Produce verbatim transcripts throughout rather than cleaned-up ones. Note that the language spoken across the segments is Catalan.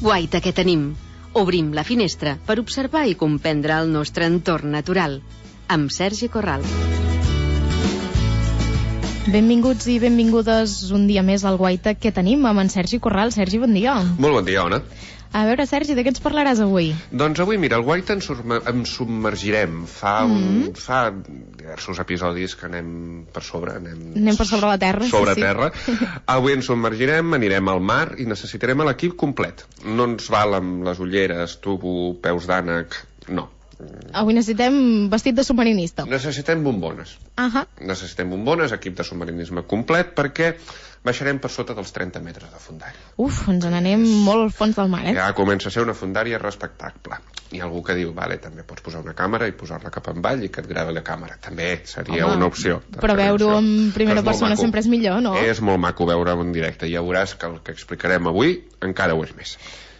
Guaita que tenim. Obrim la finestra per observar i comprendre el nostre entorn natural. Amb Sergi Corral. Benvinguts i benvingudes un dia més al Guaita que tenim amb en Sergi Corral. Sergi, bon dia. Molt bon dia, Ona. A veure, Sergi, de què ens parlaràs avui? Doncs avui, mira, al Guaita ens, ens submergirem. Fa, un, mm-hmm. fa diversos episodis que anem per sobre. Anem, anem per sobre la terra. Sobre sí, terra. Sí. Avui ens submergirem, anirem al mar i necessitarem l'equip complet. No ens val amb les ulleres, tubo, peus d'ànec, no. Avui necessitem vestit de submarinista. Necessitem bombones. Uh-huh. Necessitem bombones, equip de submarinisme complet, perquè baixarem per sota dels trenta metres de fondària. Uf, ens n'anem molt al fons del mar, eh? Ja comença a ser una fondària respectable. Hi ha algú que diu, vale, també pots posar una càmera i posar-la cap avall i que et gravi la càmera. També seria Home, una opció. Però veure-ho en primera persona sempre és millor, no? És molt maco veure-ho en directe. Ja veuràs que el que explicarem avui encara ho és més.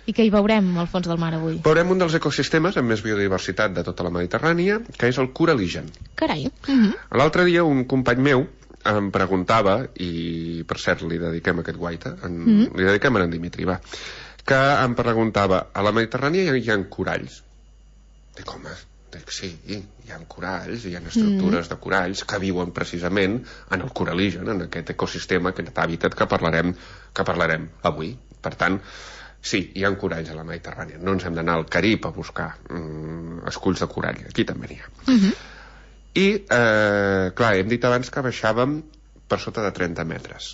I què hi veurem al fons del mar avui? Veurem un dels ecosistemes amb més biodiversitat de tota la Mediterrània, que és el coralígen. Carai. Uh-huh. L'altre dia un company meu em preguntava, i per cert li dediquem aquest Guaita, en, mm-hmm. li dediquem a en Dimitri, va, que em preguntava, a la Mediterrània hi ha coralls? Dic, home, dic, sí, hi ha coralls, hi ha estructures mm-hmm. de coralls que viuen precisament en el coralígen, en aquest ecosistema, aquest hàbitat que parlarem, que parlarem avui. Per tant, sí, hi ha coralls a la Mediterrània. No ens hem d'anar al Carib a buscar mm, esculls de corall. Aquí també n'hi ha. Mm-hmm. I, eh, clar, hem dit abans que baixàvem per sota de trenta metres.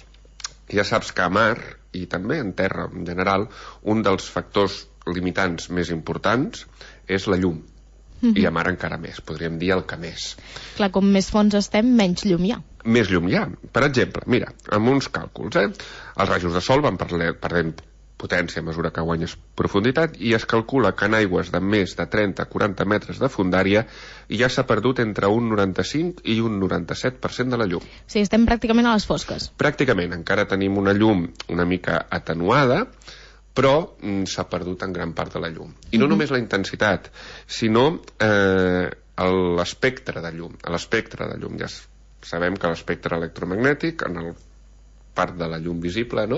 Ja saps que a mar, i també en terra en general, un dels factors limitants més importants és la llum. Mm-hmm. I a mar encara més, podríem dir el que més. Clar, com més fons estem, menys llum hi ha. Més llum hi ha. Per exemple, mira, amb uns càlculs, eh? Els rajos de sol van perdent potència a mesura que guanyes profunditat i es calcula que en aigües de més de trenta a quaranta metres de fondària ja s'ha perdut entre un noranta-cinc i un noranta-set per cent de la llum. Sí, estem pràcticament a les fosques. Pràcticament, encara tenim una llum una mica atenuada, però mm, s'ha perdut en gran part de la llum. I no mm-hmm. només la intensitat, sinó eh, l'espectre de llum. L'espectre de llum, ja sabem que l'espectre electromagnètic, en el part de la llum visible, no?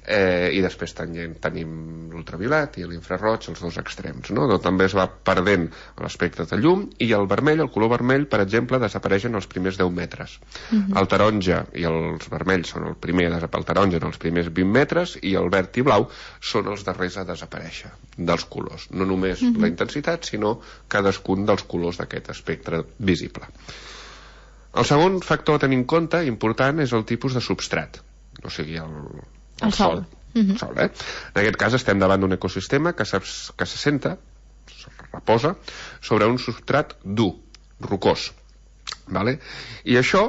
Eh, i després tenim, tenim l'ultraviolat i l'infraroig, els dos extrems, no? Doncs també es va perdent l'espectre de llum i el vermell, el color vermell, per exemple, desapareix en els primers deu metres. Uh-huh. El taronja i els vermells són el primer, el taronja en els primers vint metres i el verd i blau són els darrers a desaparèixer dels colors. No només uh-huh. la intensitat, sinó cadascun dels colors d'aquest espectre visible. El segon factor a tenir en compte, important, és el tipus de substrat. O sigui, el, el, el sol. sol. Uh-huh. sol eh? En aquest cas estem davant d'un ecosistema que, saps, que se senta, se reposa, sobre un substrat dur, rocós. Vale? I això,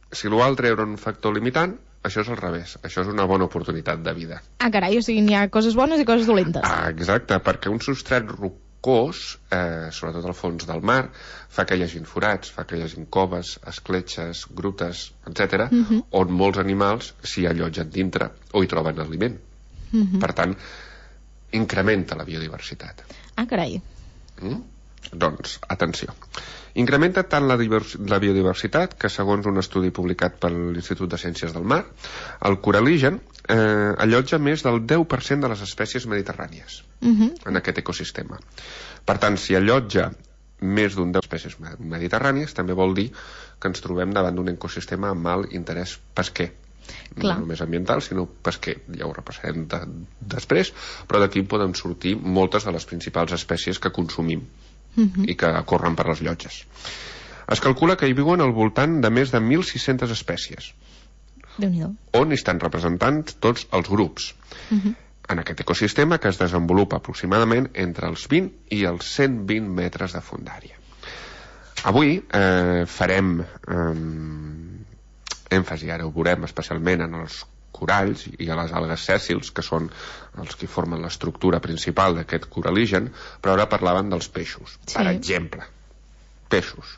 si l'altre era un factor limitant, això és al revés. Això és una bona oportunitat de vida. Ah, carai, o sigui, n'hi ha coses bones i coses dolentes. Ah, exacte, perquè un substrat rocós, eh, sobretot al fons del mar, fa que hi hagin forats, fa que hi hagin coves, escletxes, grutes, etcètera, uh-huh. on molts animals s'hi allotgen dintre o hi troben aliment. Uh-huh. Per tant, incrementa la biodiversitat. Ah, carai. Mm? Doncs, atenció. Incrementa tant la, la biodiversitat que, segons un estudi publicat per l'Institut de Ciències del Mar, el coralígen eh, allotja més del deu per cent de les espècies mediterrànies uh-huh. en aquest ecosistema. Per tant, si allotja més d'un deu espècies mediterrànies, també vol dir que ens trobem davant d'un ecosistema amb alt interès pesquer. Clar. No només ambiental, sinó pesquer. Ja ho repassarem de, després, però d'aquí poden sortir moltes de les principals espècies que consumim uh-huh. i que corren per les llotges. Es calcula que hi viuen al voltant de més de mil sis-centes espècies. Déu-n'hi-do. On hi estan representats tots els grups. Uh-huh. En aquest ecosistema que es desenvolupa aproximadament entre els vint i els cent vint metres de fondària. Avui eh, farem eh, èmfasi, ara ho veurem especialment en els coralls i a les algues sèssils, que són els que formen l'estructura principal d'aquest coralígen, però ara parlaven dels peixos. Sí. Per exemple, peixos.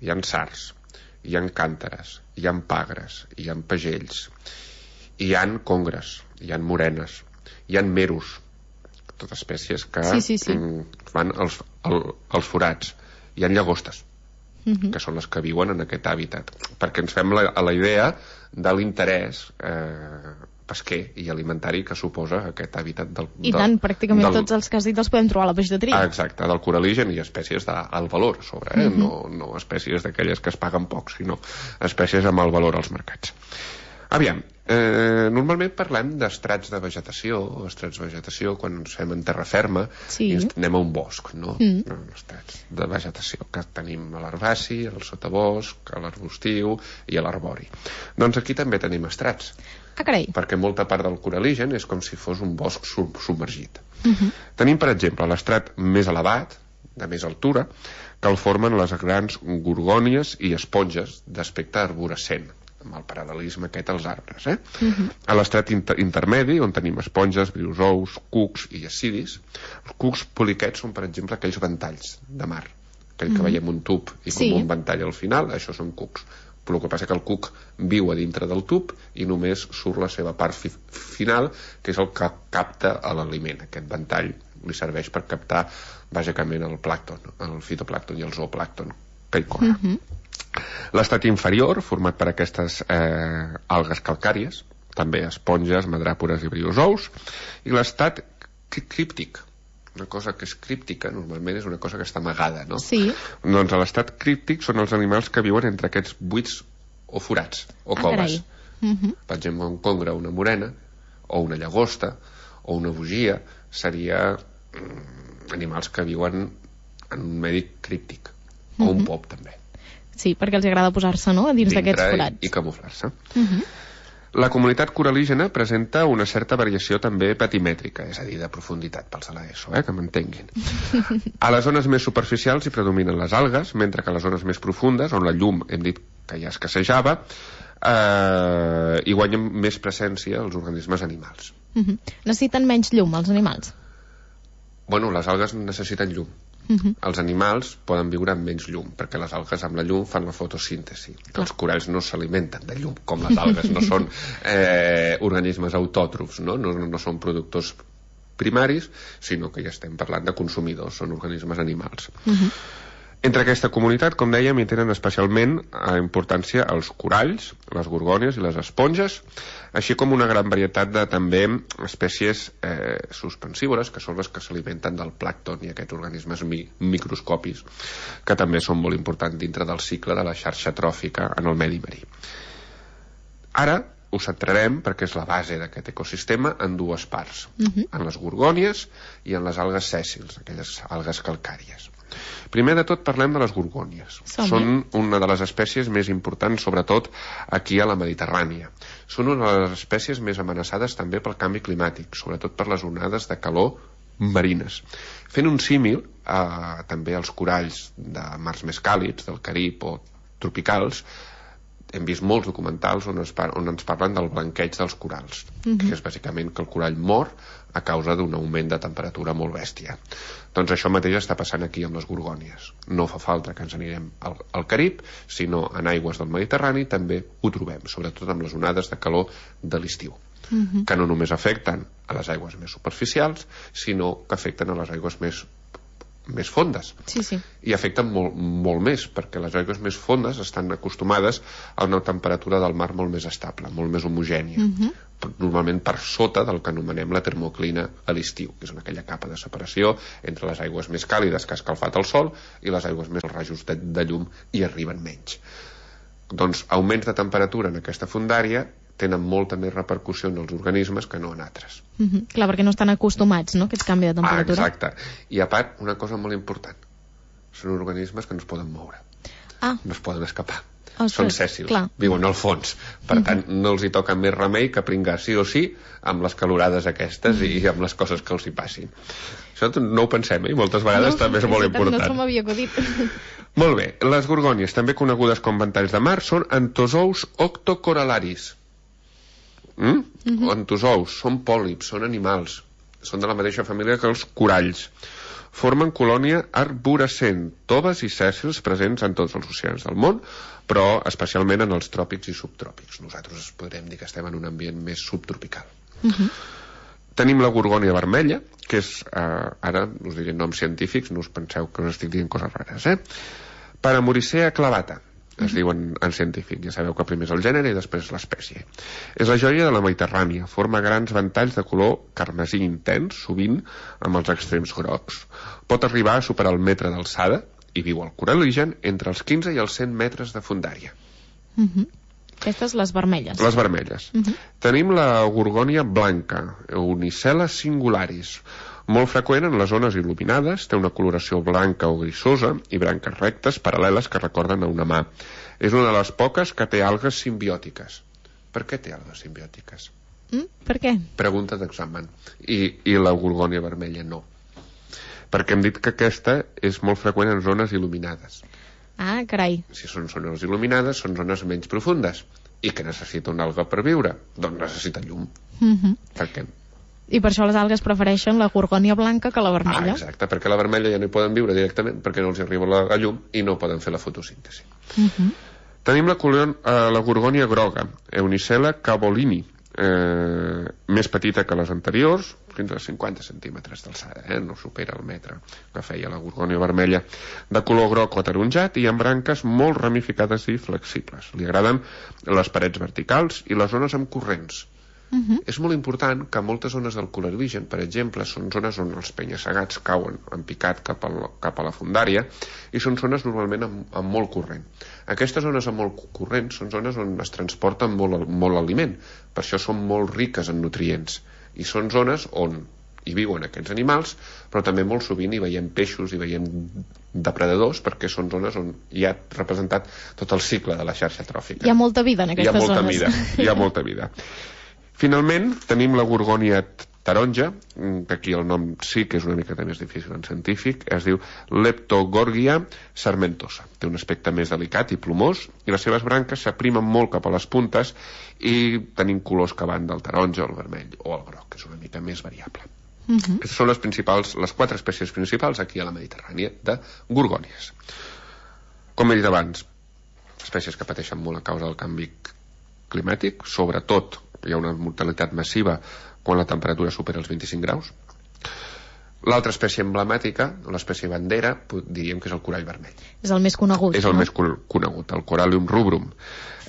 Hi ha sards, hi ha càntares, hi ha pagres, hi ha pagells, hi ha congres, hi ha morenes, hi ha meros, totes espècies que sí, sí, sí. van als, al, als forats. Hi ha llagostes, uh-huh. que són les que viuen en aquest hàbitat, perquè ens fem la, a la idea de l'interès eh, pesquer i alimentari que suposa aquest hàbitat del... I del, tant, pràcticament del, tots els que has dit els podem trobar a la peix de Tria. Exacte, del coraligen i espècies d'alt valor a sobre, eh? Mm-hmm. no, no espècies d'aquelles que es paguen poc, sinó espècies amb alt valor als mercats. Aviam, eh, normalment parlem d'estrats de vegetació, o estrats de vegetació quan ens fem en terra ferma, sí. i ens anem a un bosc, no? Mm. no? Estrats de vegetació, que tenim a l'herbaci, al sotabosc, a l'arbustiu i a l'arbori. Doncs aquí també tenim estrats. Ah, carai. Perquè molta part del coraligen és com si fos un bosc submergit. Mm-hmm. Tenim, per exemple, l'estrat més elevat, de més altura, que el formen les grans gorgònies i esponges d'aspecte arborescent, amb el paral·lelisme aquest als arbres. Eh? Uh-huh. A l'estrat inter intermedi, on tenim esponges, briozous, cucs i acidis, els cucs poliquets són, per exemple, aquells ventalls de mar, aquell uh-huh. que veiem un tub i com sí. un ventall al final, això són cucs. Però el que passa que el cuc viu a dintre del tub i només surt la seva part fi final, que és el que capta l'aliment. Aquest ventall li serveix per captar bàsicament el plàncton, el fitoplàncton i el zooplàncton que hi corre. Uh-huh. L'estat inferior, format per aquestes eh, algues calcàries, també esponges, madràpores i briozous, i l'estat críptic. Una cosa que és críptica, normalment és una cosa que està amagada, no? Sí. Doncs a l'estat críptic són els animals que viuen entre aquests buits o forats, o ah, coves. Uh-huh. Per exemple, un congre, una morena, o una llagosta, o una bugia, seria mm, animals que viuen en un medi críptic, o uh-huh. un pop, també. Sí, perquè els agrada posar-se, no?, a dins d'aquests forats. I, i camuflar-se. Uh-huh. La comunitat coralígena presenta una certa variació també patimètrica, és a dir, de profunditat pels de l'ESO, eh, que m'entenguin. A les zones més superficials hi predominen les algues, mentre que a les zones més profundes, on la llum, hem dit que ja escassejava, eh, hi guanyen més presència els organismes animals. Uh-huh. Necessiten menys llum, els animals? Bueno, les algues necessiten llum. Uh-huh. Els animals poden viure amb menys llum, perquè les algues amb la llum fan la fotosíntesi. Clar. Els coralls no s'alimenten de llum, com les algues, no són eh, organismes autòtrofs, no? No, no són productors primaris, sinó que ja estem parlant de consumidors, són organismes animals. Uh-huh. Entre aquesta comunitat, com dèiem, hi tenen especialment a importància els coralls, les gorgònies i les esponges, així com una gran varietat de també espècies eh, suspensívores, que són les que s'alimenten del plàncton i aquests organismes mi microscopis, que també són molt importants dintre del cicle de la xarxa tròfica en el medi marí. Ara ho centrarem, perquè és la base d'aquest ecosistema, en dues parts, uh-huh. en les gorgònies i en les algues sèssils, aquelles algues calcàries. Primer de tot parlem de les gorgònies. Som Són una de les espècies més importants, sobretot aquí a la Mediterrània. Són una de les espècies més amenaçades també pel canvi climàtic, sobretot per les onades de calor marines. Fent un símil eh, també als coralls de mars més càlids, del Carib o tropicals, hem vist molts documentals on, es par on ens parlen del blanqueig dels corals, uh-huh. que és bàsicament que el corall mor a causa d'un augment de temperatura molt bèstia. Doncs això mateix està passant aquí amb les gorgònies. No fa falta que ens anirem al, al Carib, sinó en aigües del Mediterrani també ho trobem, sobretot amb les onades de calor de l'estiu, uh-huh. que no només afecten a les aigües més superficials, sinó que afecten a les aigües més més fondes. Sí, sí. I afecten molt, molt més, perquè les aigües més fondes estan acostumades a una temperatura del mar molt més estable, molt més homogènia, uh-huh. normalment per sota del que anomenem la termoclina a l'estiu, que és aquella capa de separació entre les aigües més càlides que ha escalfat el sol i les aigües més als rajos de, de llum i arriben menys. Doncs augments de temperatura en aquesta fondària tenen molta més repercussió en els organismes que no en altres. Uh-huh. Clar, perquè no estan acostumats, no?, a aquest canvi de temperatura. Ah, exacte. I a part, una cosa molt important. Són organismes que no es poden moure. Ah. No es poden escapar. Ostres, són sèssils, clar. Viuen al fons. Per tant, uh-huh. no els hi toca més remei que pringar sí o sí amb les calorades aquestes uh-huh. i amb les coses que els hi passin. Això no ho pensem, eh? I moltes vegades no, també és molt important. No se m'havia acudit. Molt bé. Les gorgònies, també conegudes com ventalls de mar, són antozous octocoralaris. Mm? Uh-huh. Antozous, són pòlips, són animals, són de la mateixa família que els coralls. Formen colònia arborescent, toves i sèssils presents en tots els oceans del món, però especialment en els tròpics i subtròpics. Nosaltres podríem dir que estem en un ambient més subtropical. Uh-huh. Tenim la gorgònia vermella, que és, eh, ara us diré noms científics, no us penseu que us estic dient coses rares, eh? Paramuricea clavata, es diu en, en científic. Ja sabeu que primer és el gènere i després l'espècie. És la joia de la Mediterrània. Forma grans ventalls de color carmesí intens, sovint amb els extrems grocs. Pot arribar a superar el metre d'alçada i viu al coral·ligen entre els quinze i els cent metres de fondària. Uh -huh. Aquestes les vermelles. Les vermelles. Uh -huh. Tenim la gorgònia blanca, Unicella singularis, molt freqüent en les zones il·luminades, té una coloració blanca o grisosa i branques rectes paral·leles que recorden a una mà. És una de les poques que té algues simbiòtiques. Per què té algues simbiòtiques? Mm, per què? Pregunta d'examen. I, I la gorgònia vermella no. Perquè hem dit que aquesta és molt freqüent en zones il·luminades. Ah, carai. Si són zones il·luminades, són zones menys profundes. I que necessita una alga per viure? Doncs necessita llum. Uh -huh. Per què? I per això les algues prefereixen la gorgònia blanca que la vermella. Ah, exacte, perquè la vermella ja no hi poden viure directament perquè no els arriba la, la llum i no poden fer la fotosíntesi. Uh -huh. Tenim la, colion, eh, la gorgònia groga, Unicella cavolini, eh, més petita que les anteriors, fins a cinquanta centímetres d'alçada, eh? No supera el metre que feia la gorgònia vermella, de color groc o ataronjat i amb branques molt ramificades i flexibles. Li agraden les parets verticals i les zones amb corrents. Uh -huh. És molt important que moltes zones del coral·ligen, per exemple, són zones on els penya-segats cauen en picat cap, al, cap a la fondària i són zones normalment amb, amb molt corrent. Aquestes zones amb molt corrent són zones on es transporta molt, molt aliment, per això són molt riques en nutrients i són zones on hi viuen aquests animals, però també molt sovint hi veiem peixos, hi veiem depredadors, perquè són zones on hi ha representat tot el cicle de la xarxa tròfica. Hi ha molta vida en aquestes hi ha molta zones. Vida, hi ha molta vida. Finalment, tenim la gorgònia taronja, que aquí el nom sí que és una mica més difícil en científic, es diu Leptogorgia sarmentosa. Té un aspecte més delicat i plomós, i les seves branques s'aprimen molt cap a les puntes i tenim colors que van del taronja al vermell o al groc, que és una mica més variable. Uh -huh. Aquestes són les principals, les quatre espècies principals aquí a la Mediterrània de gorgònies. Com he dit abans, espècies que pateixen molt a causa del canvi climàtic, sobretot hi ha una mortalitat massiva quan la temperatura supera els vint-i-cinc graus. L'altra espècie emblemàtica, l'espècie bandera, diríem que és el corall vermell. És el més conegut. És el no? més conegut, el Corallium rubrum.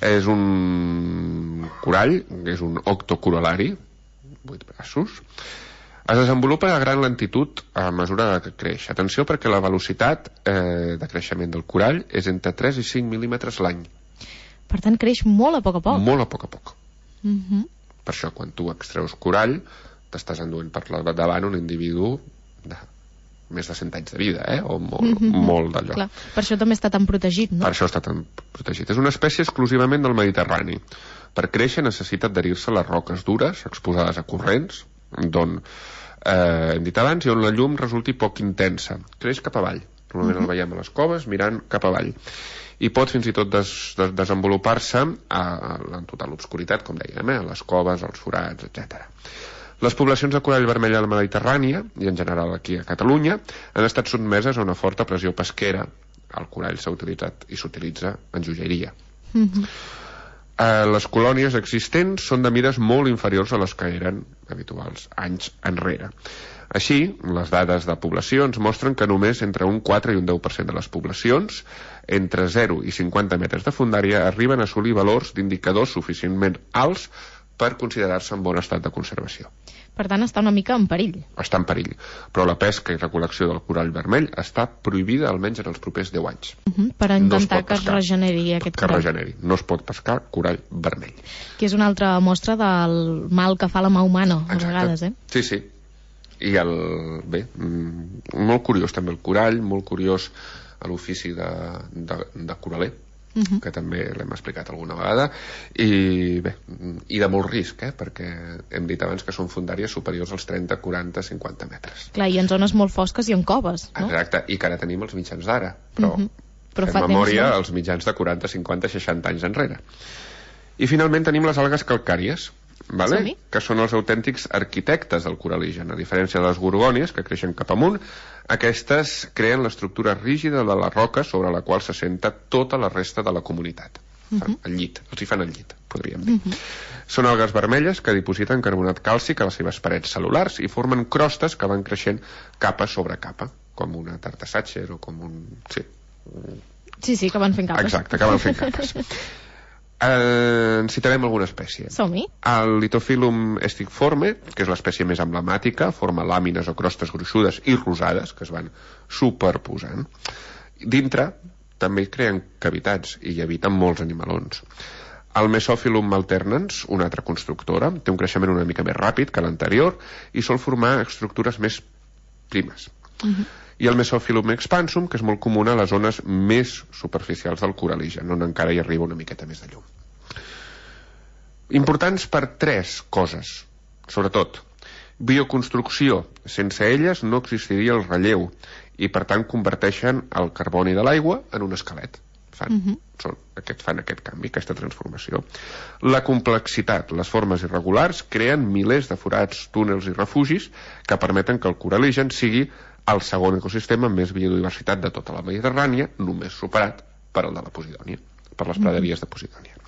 És un corall, és un octocorol·lari, vuit braços. Es desenvolupa a gran lentitud a mesura que creix. Atenció, perquè la velocitat eh, de creixement del corall és entre tres i cinc mil·límetres l'any. Per tant, creix molt a poc a poc. Molt a poc a poc. Uh -huh. Per això, quan tu extreus corall, t'estàs enduent per davant un individu de més de cent anys de vida, eh? O molt, uh -huh. molt d'allò. Clar. Per això també està tan protegit, no? Per això està tan protegit. És una espècie exclusivament del Mediterrani. Per créixer necessita adherir-se a les roques dures, exposades a corrents, d'on, eh, hem dit abans, i on la llum resulti poc intensa. Creix cap avall. Normalment uh -huh. el veiem a les coves mirant cap avall. I pot fins i tot des, des, desenvolupar-se a, a, en total obscuritat, com dèiem, eh? A les coves, als forats, etcètera. Les poblacions de corall vermell a la Mediterrània, i en general aquí a Catalunya, han estat sotmeses a una forta pressió pesquera. El corall s'ha utilitzat i s'utilitza en joieria. Uh-huh. eh, les colònies existents són de mides molt inferiors a les que eren habituals anys enrere. Així, les dades de poblacions mostren que només entre un quatre i un deu per cent de les poblacions, entre zero i cinquanta metres de fondària, arriben a assolir valors d'indicadors suficientment alts per considerar-se en bon estat de conservació. Per tant, està una mica en perill. Està en perill, però la pesca i recol·lecció del corall vermell està prohibida almenys en els propers deu anys. Uh -huh, per intentar no que es regeneri aquest que corall. Que regeneri. No es pot pescar corall vermell. Que és una altra mostra del mal que fa la mà humana, a vegades, eh? Sí, sí. I el... bé, molt curiós també el corall, molt curiós l'ofici de, de, de coraler, uh -huh. que també l'hem explicat alguna vegada, i bé, i de molt risc, eh? Perquè hem dit abans que són fondàries superiors als trenta, quaranta, cinquanta metres. Clar, i en zones molt fosques i en coves, no? Exacte, i que ara tenim els mitjans d'ara, però, uh -huh. però fem fa memòria temps, no? als mitjans de quaranta, cinquanta, seixanta anys enrere. I finalment tenim les algues calcàries, vale? Que són els autèntics arquitectes del coral·ligen. A diferència de les gorgònies, que creixen cap amunt, aquestes creen l'estructura rígida de la roca sobre la qual s'assenta tota la resta de la comunitat. Uh -huh. El llit, els hi fan el llit, podríem dir. Uh -huh. Són algues vermelles que dipositen carbonat càlcic a les seves parets cel·lulars i formen crostes que van creixent capa sobre capa, com una tarta Sacher o com un... sí, Sí, sí, que van fent capes. Exacte, que van fent capes. Eh, en citarem alguna espècie. Som-hi. El Lithophyllum stickforme, que és l'espècie més emblemàtica, forma làmines o crostes gruixudes i rosades que es van superposant. Dintre també creen cavitats i hi habiten molts animalons. El Mesophyllum alternans, una altra constructora, té un creixement una mica més ràpid que l'anterior i sol formar estructures més primes. Uh-huh. I el Mesophyllum expansum, que és molt comú a les zones més superficials del coraligen, on encara hi arriba una miqueta més de llum. Importants per tres coses, sobretot. Bioconstrucció. Sense elles no existiria el relleu i, per tant, converteixen el carboni de l'aigua en un esquelet. Fan, uh-huh. són, aquest, fan aquest canvi, aquesta transformació. La complexitat. Les formes irregulars creen milers de forats, túnels i refugis que permeten que el coraligen sigui el segon ecosistema amb més biodiversitat de tota la Mediterrània, només superat per el de la Posidònia, per les praderies de Posidònia.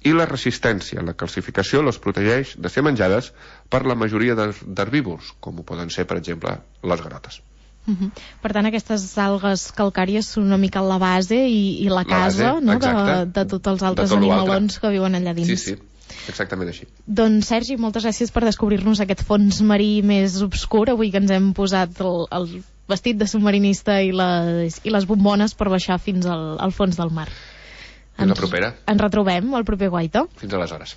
I la resistència, la calcificació, les protegeix de ser menjades per la majoria d'herbívors, com ho poden ser, per exemple, les garotes. Uh-huh. Per tant, aquestes algues calcàries són una mica la base i, i la casa, la base, no? de, de tots els altres tot animalons que viuen allà dins. Sí, sí. Exactament així. Doncs, Sergi, moltes gràcies per descobrir-nos aquest fons marí més obscur. Avui que ens hem posat el, el vestit de submarinista i les, i les bombones per baixar fins al, al fons del mar. Fins la propera. Ens retrobem al proper Guaita. Fins aleshores.